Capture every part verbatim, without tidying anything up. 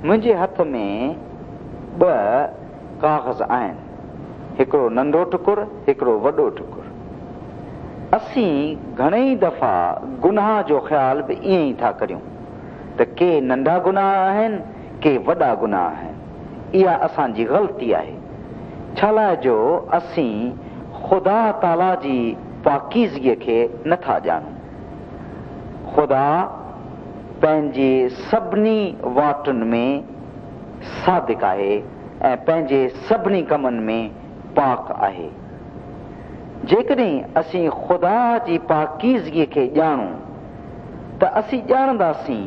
منهنجي هٿ ۾ ٻه ڪاغذ آهن، هڪڙو ننڍو ٽڪر، هڪڙو وڏو ٽڪر. اسين گهڻيئي دفعا گناهه جو خيال به ائين ئي ٿا ڪريون ته ڪي ننڍا گناهه آهن، ڪي وڏا گناهه آهن. اها اسان جي غلطي آهي، ڇا لاءِ جو اسين خدا تعاليٰ جي پاڪيزگيءَ کي نٿا ڄاڻون. خدا پنهنجي سڀني واٽن ۾ صادق آهي ۽ پنهنجي سڀني ڪمن ۾ پاڪ آهي. جيڪڏهن اسين خدا جي پاڪيزگيءَ کي ڄاڻون ته اسين ڄاڻنداسين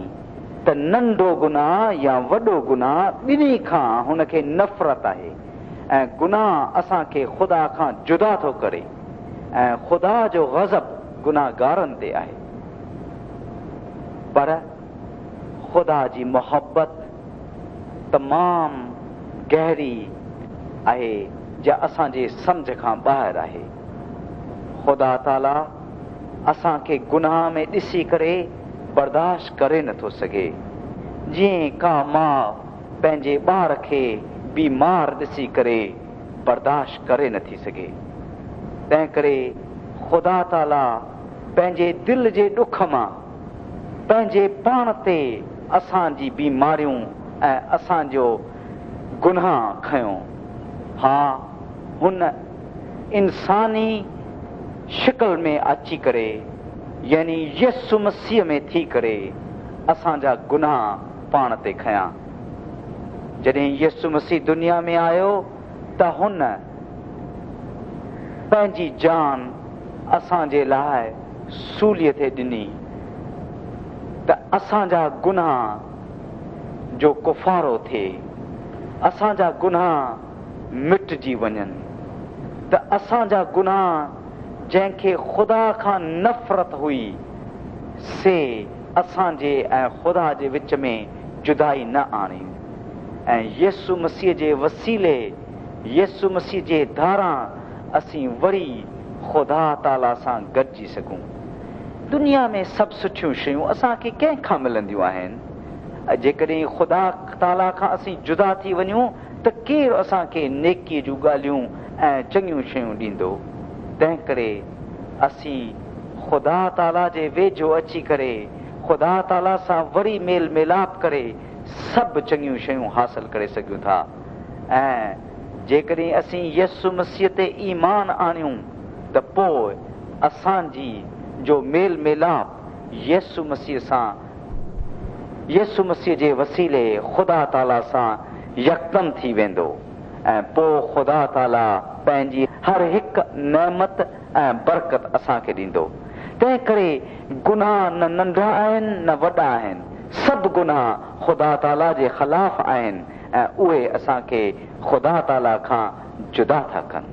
ته ننڍو گناهه يا وڏو گناهه ٻنهي کان هن کي نفرت آهي ۽ گناهه اسان کي خدا کان جدا ٿو ڪري ۽ خدا جو غضب گناهگارن تي آهي. پر خدا جي محبت تمام گهري آهي، جا اسان جي سمجهه کان ٻاهر آهي. خدا تعاليٰ اسان کي گناهه ۾ ڏسي ڪري برداشت ڪري نٿو سگهي. جيئن ڪا ماءُ پنهنجي ٻار کي بيمار ڏسي ڪري برداشت ڪري نٿي سگهي، تنهن ڪري خدا تعاليٰ پنهنجي دل جي ڏک مان پنهنجي پاڻ تي اسان جي بيماريون ۽ اسان جو گناهه کنيو. ها، هن انساني شڪل ۾ اچي ڪري، يعني يسوع مسيح ۾ ٿي ڪري اسان جا گناهه پاڻ تي کنيا. جڏهن يسوع مسيح دنيا ۾ آيو ته هن پنهنجي جان اسان جي لاءِ سوليءَ تي ڏني ته اسان جا گناهه جو ڪفارو ٿئي، اسان جا گناهه مٽجي وڃن، ته اسان جا گناهه جنهن کي خدا کان نفرت هئي سي اسان جي ۽ خدا جي وچ ۾ جدائي نه آڻي ۽ يسوع مسيح جي وسيلي، يسوع مسيح جي ڌاران اسين وري خدا تعاليٰ سان گڏجي سگهون. دنيا ۾ سڀ سٺيون شيون اسان کي ڪنهن کان ملنديون آهن؟ جيڪڏهن خدا تعاليٰ کان اسين جدا ٿي وڃون ته ڪير اسان کي نيڪيءَ جون ڳالهيون ۽ چڱيون شيون ڏيندو؟ تنهن ڪري اسين خدا تعاليٰ جي ويجهو اچي ڪري خدا تعاليٰ سان وري ميل ميلاپ ڪري سڀ چڱيون شيون حاصل ڪري سگهون ٿا. ۽ جيڪڏهن اسين يسوع مسيح تي ايمان آڻيون ته پوءِ اسان جي جو ميل ميلاپ يسوع مسيح سان، يسوع مسيح جي وسيلي خدا تعاليٰ سان يڪدم ٿي ويندو ۽ پوءِ خدا تعاليٰ پنهنجي هر هڪ نعمت ۽ برڪت اسان کي ڏيندو. تنهن ڪري گناهه نه ننڍا آهن نه وڏا آهن، سڀ گناهه خدا تعاليٰ جي خلاف آهن ۽ اهي اسان کي خدا تعاليٰ کان جدا ٿا ڪن.